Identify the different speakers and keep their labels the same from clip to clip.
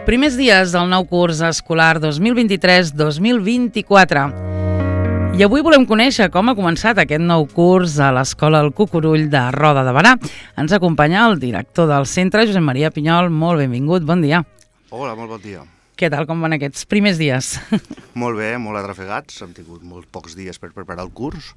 Speaker 1: Primers dies del nou curs escolar 2023-2024. I avui volem conèixer com ha començat aquest nou curs a l'Escola El Cucurull de Roda de Berà. Ens acompanya el director del centre, Josep Maria Pinyol. Molt benvingut, bon dia.
Speaker 2: Hola, molt bon dia.
Speaker 1: Què tal, com van aquests primers dies?
Speaker 2: Molt bé, molt atrafegats. Hem tingut molt pocs dies per preparar el curs,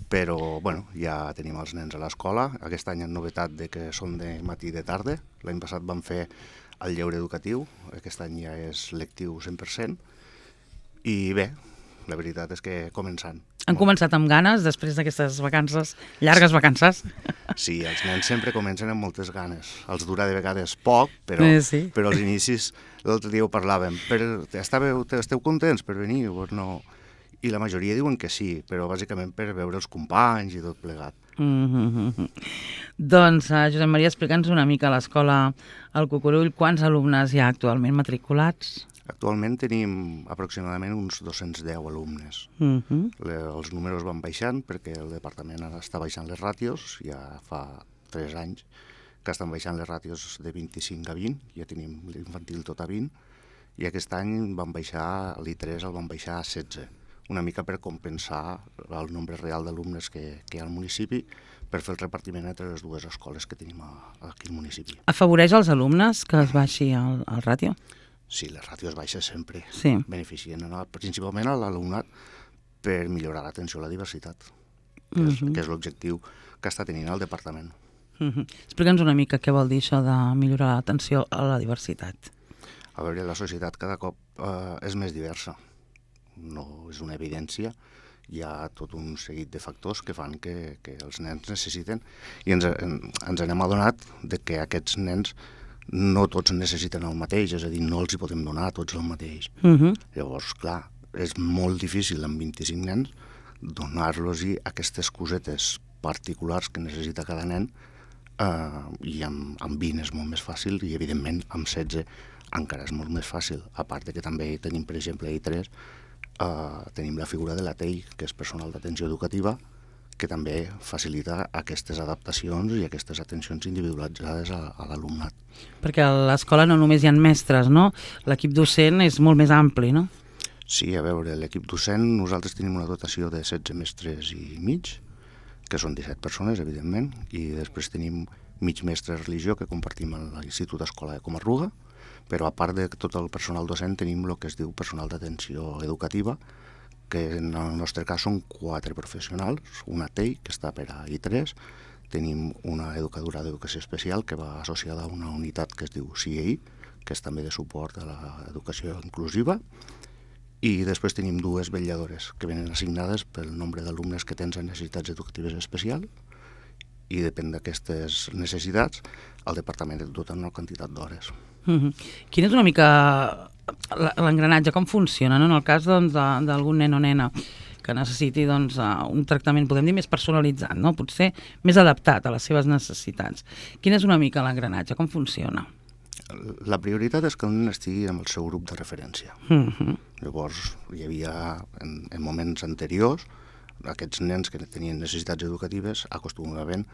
Speaker 2: però bueno, ja tenim els nens a l'escola. Aquest any en novetat de que són de matí i de tarda. L'any passat vam fer el lleure educatiu, aquest any ja és lectiu 100%, i bé, la veritat és que començant.
Speaker 1: Han començat amb ganes després d'aquestes vacances, llargues vacances?
Speaker 2: Sí, els nens sempre comencen amb moltes ganes. Els dura de vegades poc, però,
Speaker 1: sí.
Speaker 2: però als inicis, l'altre dia ho parlàvem. Esteu contents per venir? Pues no. I la majoria diuen que sí, però bàsicament per veure els companys i tot plegat.
Speaker 1: Doncs, Josep Maria, explica'ns una mica a l'escola El Cucurull quants alumnes hi ha actualment matriculats?
Speaker 2: Actualment tenim aproximadament uns 210 alumnes. Els números van baixant perquè el departament ara està baixant les ràtios, ja fa 3 anys que estan baixant les ràtios de 25 a 20, ja tenim l'infantil tot a 20, i aquest any van baixar, l'I3 el van baixar a 16, una mica per compensar el nombre real d'alumnes que hi ha al municipi, per fer el repartiment entre les dues escoles que tenim aquí al municipi.
Speaker 1: Afavoreix als alumnes que es baixi el ràtio?
Speaker 2: Sí, les ràtios baixes sempre
Speaker 1: beneficien
Speaker 2: principalment a l'alumnat per millorar l'atenció a la diversitat, que és l'objectiu que està tenint el departament.
Speaker 1: Explica'ns una mica què vol dir això de millorar l'atenció a la diversitat.
Speaker 2: A veure, la societat cada cop és més diversa. No és una evidència, hi ha tot un seguit de factors que fan que els nens necessiten, i ens n'hem adonat de que aquests nens no tots necessiten el mateix, és a dir, no els hi podem donar a tots el mateix. Llavors, clar, és molt difícil amb 25 nens donar-los-hi aquestes cosetes particulars que necessita cada nen, i amb 20 és molt més fàcil, i evidentment amb 16 encara és molt més fàcil, a part de que també tenim, per exemple, a I3, tenim la figura de la TEI, que és personal d'atenció educativa, que també facilita aquestes adaptacions i aquestes atencions individualitzades a l'alumnat.
Speaker 1: Perquè a l'escola no només hi ha mestres, no? L'equip docent és molt més ampli, no?
Speaker 2: Sí, a veure, l'equip docent, nosaltres tenim una dotació de 16 mestres i mig, que són 17 persones, evidentment, i després tenim mig mestre de religió que compartim a l'Institut Escola de Comarruga, però a part de tot el personal docent tenim el que es diu personal d'atenció educativa, que en el nostre cas són 4 professionals, una TEI, que està per a I3, tenim una educadora d'educació especial que va associada a una unitat que es diu CIEI, que és també de suport a l'educació inclusiva, i després tenim 2 vetlladores que venen assignades pel nombre d'alumnes que tens en necessitats educatives especials, i depèn d'aquestes necessitats, el departament et dota una quantitat d'hores.
Speaker 1: Quin és una mica l'engranatge, com funciona, no? En el cas d'algun nen o nena que necessiti un tractament, podem dir, més personalitzat, no? Potser més adaptat a les seves necessitats. Quin és una mica l'engranatge, com funciona?
Speaker 2: La prioritat és que el nen estigui amb el seu grup de referència. Llavors, hi havia, en moments anteriors, aquests nens que tenien necessitats educatives acostumaven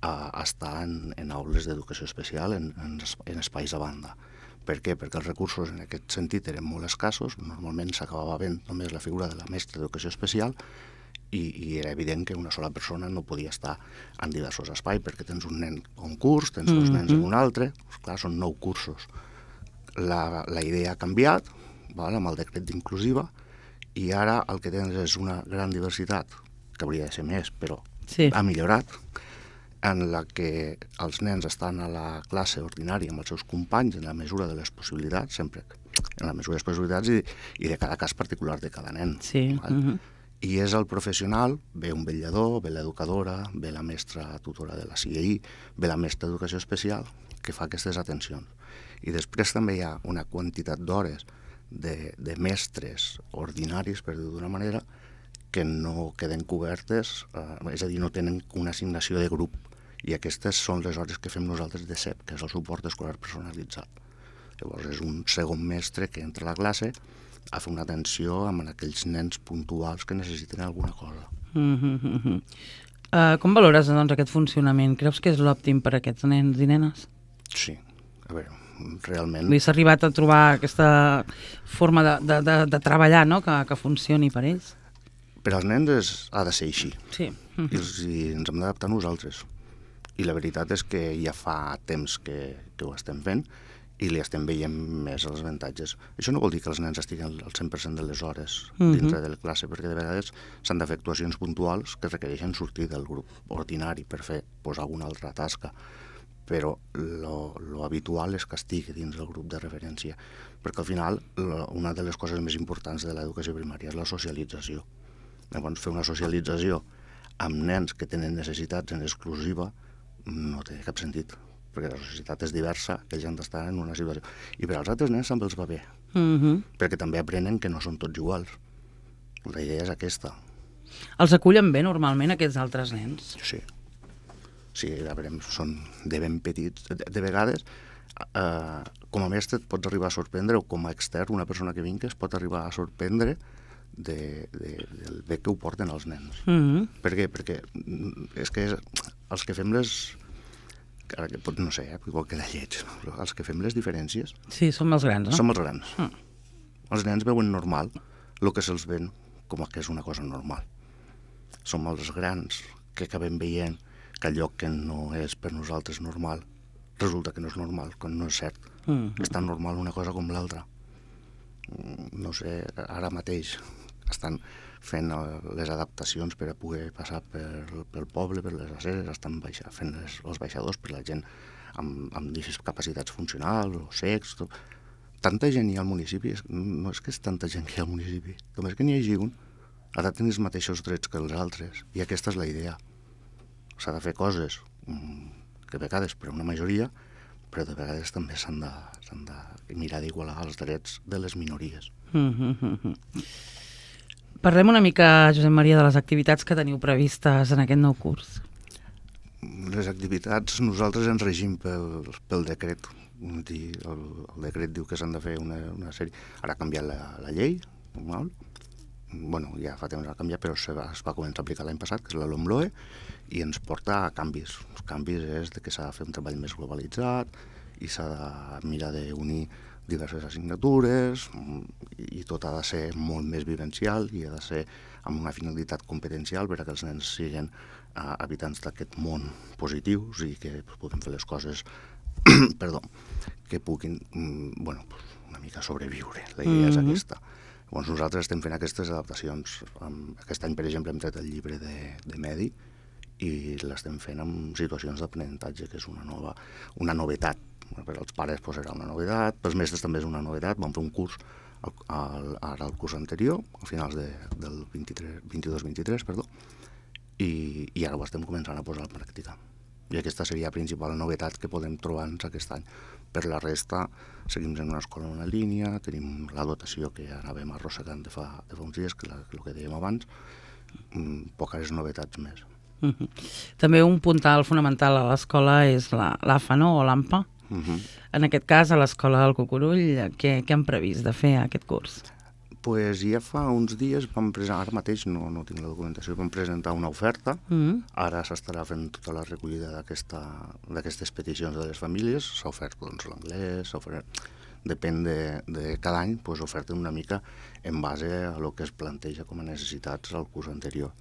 Speaker 2: a estar en aules d'educació especial, en espais a banda. Per què? Perquè els recursos en aquest sentit eren molt escassos, normalment s'acabava fent només la figura de la mestra d'educació especial, i era evident que una sola persona no podia estar en diversos espais, perquè tens un nen a un curs, tens 2 nens en un altre, clar, són 9 cursos. La idea ha canviat, amb el decret d'inclusiva, i ara el que tens és una gran diversitat, que hauria de ser més, però ha millorat, en la que els nens estan a la classe ordinària amb els seus companys en la mesura de les possibilitats, sempre en la mesura de les possibilitats i de cada cas particular de cada nen. I és el professional, ve un vetllador, ve l'educadora, ve la mestra tutora de la CIEI, ve la mestra d'educació especial, que fa aquestes atencions. I després també hi ha una quantitat d'hores de mestres ordinaris, per dir-ho d'una manera, que no queden cobertes, és a dir, no tenen una assignació de grup, i aquestes són les hores que fem nosaltres de CEP, que és el suport escolar personalitzat. Llavors és un segon mestre que entra a la classe a fer una atenció amb aquells nens puntuals que necessiten alguna cosa.
Speaker 1: Com valores aquest funcionament? Creus que és l'òptim per a aquests nens i nenes?
Speaker 2: Sí, a veure, realment...
Speaker 1: S'ha arribat a trobar aquesta forma de treballar, no?, que funcioni per ells.
Speaker 2: Per als nens ha de ser així.
Speaker 1: Sí.
Speaker 2: I ens hem d'adaptar nosaltres. I la veritat és que ja fa temps que ho estem fent i li estem veient més els avantatges. Això no vol dir que els nens estiguen al 100% de les hores dintre de la classe, perquè de vegades s'han de fer actuacions puntuals que requereixen sortir del grup ordinari per fer alguna altra tasca, però lo habitual és que estigui dins del grup de referència, perquè al final una de les coses més importants de l'educació primària és la socialització. Llavors, fer una socialització amb nens que tenen necessitats en exclusiva no té cap sentit, perquè la societat és diversa, que ells han d'estar en una situació. I per als altres nens també els va bé, perquè també aprenen que no són tots iguals. La idea és aquesta.
Speaker 1: Els acullen bé normalment aquests altres nens?
Speaker 2: Sí. Sí, a veure, són de ben petits. De vegades, com a mestre et pots arribar a sorprendre, o com a extern, una persona que vingui es pot arribar a sorprendre del bé que ho porten els nens. Per què? Perquè és que els que fem les... Ara que no sé, igual que de lleig, però els que fem les diferències...
Speaker 1: Sí, som els grans, no?
Speaker 2: Som els grans. Els nens veuen normal el que se'ls ven com que és una cosa normal. Som els grans que acabem veient que allò que no és per nosaltres normal resulta que no és normal, quan no és cert. És tan normal una cosa com l'altra. No sé, ara mateix estan fent les adaptacions per a poder passar pel poble, per les aceres, estan fent els baixadors per la gent amb discapacitats funcionals o secs. Tanta gent hi ha al municipi, no és que és tanta gent que hi ha al municipi, només que n'hi hagi un, ha de tenir els mateixos drets que els altres, i aquesta és la idea. S'ha de fer coses que a vegades per a una majoria, però de vegades també s'han de mirar d'igualar els drets de les minories.
Speaker 1: Parlem una mica, Josep Maria, de les activitats que teniu previstes en aquest nou curs.
Speaker 2: Les activitats nosaltres ens regim pel decret. El decret diu que s'han de fer una sèrie. Ara ha canviat la llei, normal. Bueno, ja fa temps que ha canviat, però es va començar a aplicar l'any passat, que és la LOMLOE, i ens porta a canvis. Els canvis és que s'ha de fer un treball més globalitzat i s'ha de mirar d'unir diverses assignatures i tot ha de ser molt més vivencial i ha de ser amb una finalitat competencial per a que els nens siguin habitants d'aquest món positius i que puguin fer les coses que puguin una mica sobreviure. La idea és aquesta. Llavors nosaltres estem fent aquestes adaptacions. Aquest any, per exemple, hem tret el llibre de Medi i l'estem fent amb situacions d'aprenentatge, que és una novetat. Per als pares era una novetat, pels mestres també és una novetat. Vam fer un curs ara el curs anterior, a finals del 22-23, i ara ho estem començant a posar en pràctica. I aquesta seria la principal novetat que podem trobar-nos aquest any. Per la resta, seguim en una escola en una línia, tenim la dotació que anàvem arrossegant de fa uns dies, que el que dèiem abans, poques novetats més.
Speaker 1: També un puntal fonamental a l'escola és l'AFA, no?, o l'AMPA. En aquest cas, a l'escola del Cucurull, què han previst de fer aquest curs?
Speaker 2: Pues ja fa uns dies vam presentar, ara mateix no tinc la documentació, vam presentar una oferta, ara s'estarà fent tota la recollida d'aquestes peticions de les famílies, s'ha ofert l'anglès, depèn de cada any, oferta una mica en base a el que es planteja com a necessitats al curs anterior.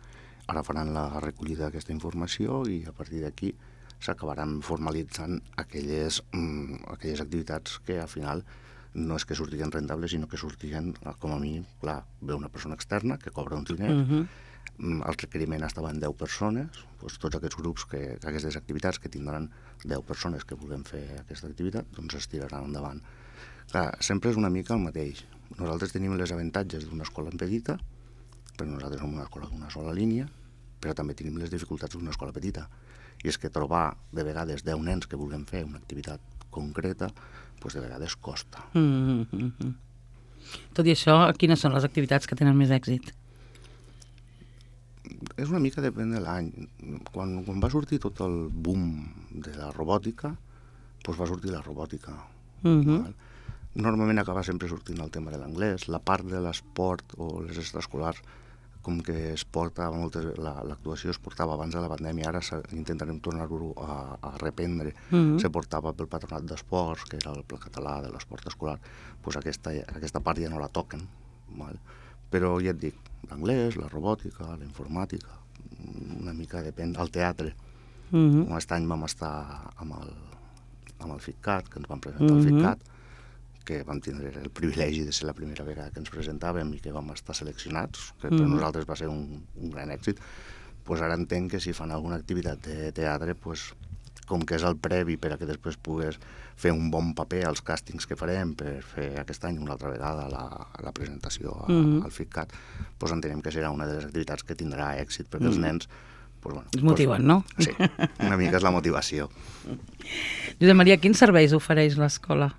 Speaker 2: Ara faran la recollida d'aquesta informació i a partir d'aquí s'acabaran formalitzant aquelles activitats que al final no és que sortiguen rentables, sinó que sortiguen, com a mínim, clar, ve una persona externa que cobra un diner, el requeriment estava en 10 persones, tots aquests grups, aquestes activitats que tindran 10 persones que vulguem fer aquesta activitat, doncs es tiraran endavant. Clar, sempre és una mica el mateix. Nosaltres tenim les avantatges d'una escola petita, però nosaltres som una escola d'una sola línia, però també tenim les dificultats d'una escola petita. I és que trobar de vegades 10 nens que vulguem fer una activitat concreta, de vegades costa.
Speaker 1: Tot i això, quines són les activitats que tenen més èxit?
Speaker 2: És una mica depèn de l'any. Quan va sortir tot el boom de la robòtica, va sortir la robòtica. Normalment acaba sempre sortint el tema de l'anglès, la part de l'esport o les extraescolars com que es porta, l'actuació es portava abans de la pandèmia, ara intentarem tornar-ho a reprendre, se portava pel Patronat d'Esports, que era el Pla Català de l'Esport Escolar, doncs aquesta part ja no la toquen, val? Però ja et dic, l'anglès, la robòtica, la informàtica, una mica depèn, el teatre. Aquest any vam estar amb el FICCAT, que ens vam presentar al FICCAT, que vam tindre el privilegi de ser la primera vegada que ens presentàvem i que vam estar seleccionats, que per nosaltres va ser un gran èxit. Pues ara entenc que si fan alguna activitat de teatre, pues, com que és el previ per a que després pugues fer un bon paper als càstings que farem per fer aquest any una altra vegada la presentació al FICCAT, pues entenem que serà una de les activitats que tindrà èxit, perquè els nens pues, bueno,
Speaker 1: es motiven, no?
Speaker 2: Sí, una mica és la motivació.
Speaker 1: Josep Maria, quins serveis ofereix l'escola?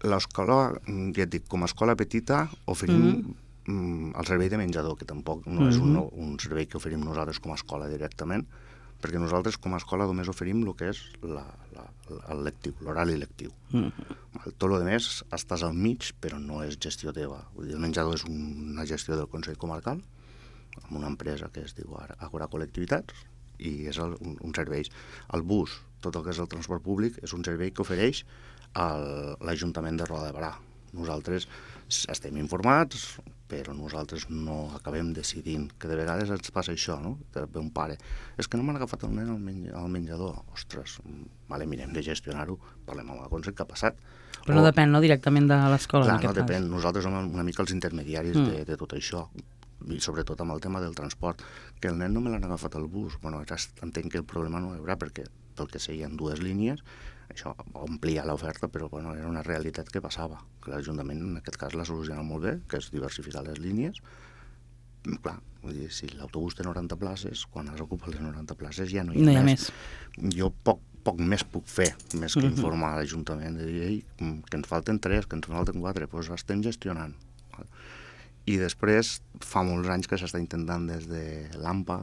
Speaker 2: L'escola, ja et dic, com a escola petita oferim el servei de menjador, que tampoc no és un servei que oferim nosaltres com a escola directament, perquè nosaltres com a escola només oferim el que és l'horari lectiu. Tot el més estàs al mig, però no és gestió teva. Vull dir, el menjador és una gestió del Consell Comarcal, amb una empresa que es diu Agora Col·lectivitats, i és un servei. El bus, tot el que és el transport públic, és un servei que ofereix l'Ajuntament de Roda de Berà. Nosaltres estem informats, però nosaltres no acabem decidint, que de vegades ens passa això, no? Que ve un pare, és que no m'han agafat el nen al menjador. Ostres, vale, mirem de gestionar-ho, parlem amb el Consell, què ha passat?
Speaker 1: Però no depèn, no, directament de l'escola, en aquest cas.
Speaker 2: No depèn, nosaltres som una mica els intermediaris de tot això, i sobretot amb el tema del transport, que el nen no me l'han agafat al bus. Bueno, ara entenc que el problema no hi haurà, perquè pel que sé hi ha dues línies, això omplia l'oferta, però bueno, era una realitat que passava, que l'Ajuntament en aquest cas l'ha solucionat molt bé, que és diversificar les línies. Clar, vull dir, si l'autobús té 90 places, quan has ocupat les 90 places ja no hi ha més. Jo poc més puc fer, més que informar a l'Ajuntament de dir que ens falten 3, que ens falten 4, doncs estem gestionant. I després fa molts anys que s'està intentant des de l'AMPA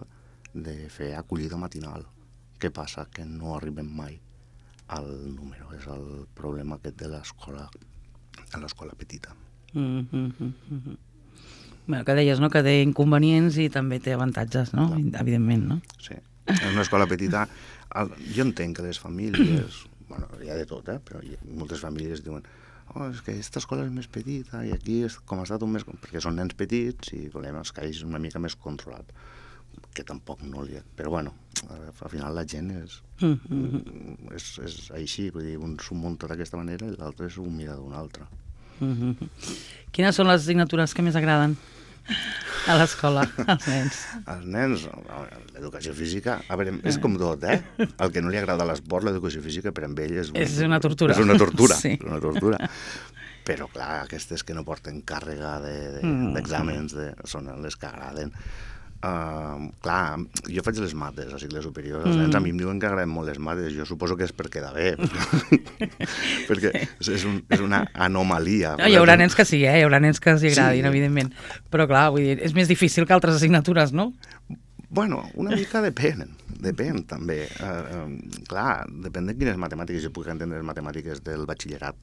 Speaker 2: de fer acollida matinal. Què passa? Que no arribem mai al número. És el problema aquest de l'escola petita.
Speaker 1: Bueno, que deies, no?, que té inconvenients i també té avantatges, no?, evidentment, no?
Speaker 2: Sí. En una escola petita, jo entenc que les famílies, bueno, hi ha de tot, però moltes famílies diuen és que aquesta escola és més petita i aquí com ha estat més... perquè són nens petits i volem els que hagin una mica més controlat, que tampoc no li... Però bueno, al final la gent és així, vull dir, un s'ho munta d'aquesta manera i l'altre s'ho mira d'una altra.
Speaker 1: Quines són les assignatures que més agraden a l'escola, als nens?
Speaker 2: Als nens, l'educació física, a veure, és com tot, El que no li agrada a l'esport, l'educació física, per a ell és
Speaker 1: una tortura.
Speaker 2: És una tortura,
Speaker 1: sí.
Speaker 2: Una tortura. Però, clar, aquestes que no porten càrrega d'exàmens són les que agraden. Clar, jo faig les mates a cicles superiors, els nens a mi em diuen que agraden molt les mates, jo suposo que és per quedar bé, perquè és una anomalia.
Speaker 1: No, hi haurà nens que sí, hi haurà nens que s'hi agradin, evidentment, però clar, vull dir, és més difícil que altres assignatures, no?
Speaker 2: Bueno, una mica depèn també. Clar, depèn de quines matemàtiques. Jo puc entendre les matemàtiques del batxillerat,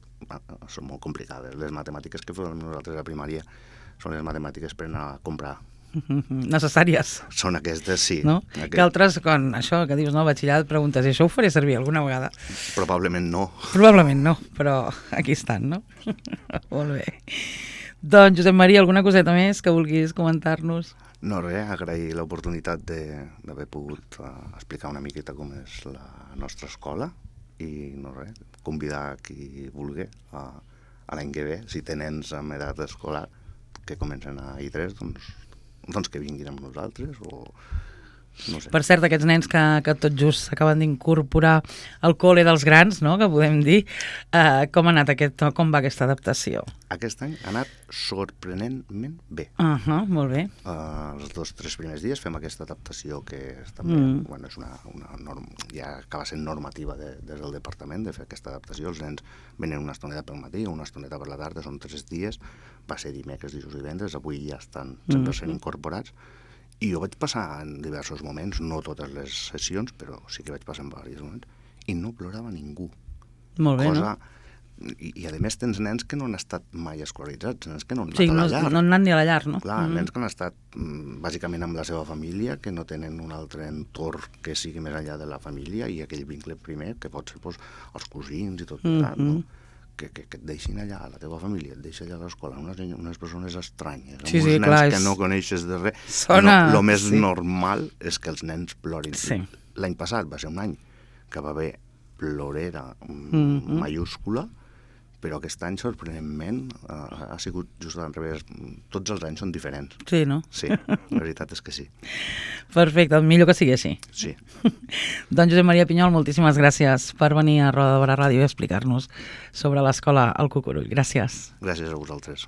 Speaker 2: són molt complicades. Les matemàtiques que fem nosaltres a primària són les matemàtiques per anar a comprar.
Speaker 1: Necessàries.
Speaker 2: Són aquestes, sí.
Speaker 1: No? Que altres, quan això que dius, no, batxillerat, preguntes, i això ho faré servir alguna vegada?
Speaker 2: Probablement no.
Speaker 1: Probablement no, però aquí estan, no? Molt bé. Doncs, Josep Maria, alguna coseta més que vulguis comentar-nos?
Speaker 2: No, res, agrair l'oportunitat d'haver pogut explicar una miqueta com és la nostra escola i, no res, convidar qui vulgui a l'any que ve, si té nens amb edat escolar que comencen a I3, doncs que vinguin amb nosaltres o no sé.
Speaker 1: Per cert, aquests nens que tot just s'acaben d'incorporar al col·le dels grans, no?, que podem dir, com ha anat com va aquesta adaptació?
Speaker 2: Aquest any ha anat sorprenentment bé.
Speaker 1: Molt bé.
Speaker 2: Els 2-3 primers dies fem aquesta adaptació que és també, bueno, és una norma, ja acaba sent normativa des del departament de fer aquesta adaptació. Els nens venen una estoneta pel matí, una estoneta per la tarda, són 3 dies, va ser dimecres, dijous i divendres, avui ja estan 100% incorporats. I jo vaig passar en diversos moments, no totes les sessions, però sí que vaig passar en diversos moments, i no plorava ningú.
Speaker 1: Molt bé,
Speaker 2: cosa I a més tens nens que no han estat mai escolaritzats, nens que no han
Speaker 1: Sí,
Speaker 2: anat a
Speaker 1: no,
Speaker 2: la llar.
Speaker 1: no han anat ni a la llar, no?
Speaker 2: Clar, nens que han estat bàsicament amb la seva família, que no tenen un altre entorn que sigui més enllà de la família i aquell vincle primer, que pot ser doncs, els cosins i tot plegat, no? Que et deixin allà, a la teva família, et deixa allà a l'escola, unes persones estranyes, amb uns nens
Speaker 1: clar,
Speaker 2: que no coneixes de res.
Speaker 1: Sona...
Speaker 2: El més normal és que els nens plorin.
Speaker 1: Sí.
Speaker 2: L'any passat va ser un any que va haver plorera mayúscula, però aquest any, sorprenentment, ha sigut just al revés. Tots els anys són diferents.
Speaker 1: Sí, no?
Speaker 2: Sí, la veritat és que sí.
Speaker 1: Perfecte, millor que sigui així.
Speaker 2: Sí.
Speaker 1: Doncs Josep Maria Pinyol, moltíssimes gràcies per venir a Roda de Barà Ràdio i explicar-nos sobre l'escola El Cucurull. Gràcies.
Speaker 2: Gràcies a vosaltres.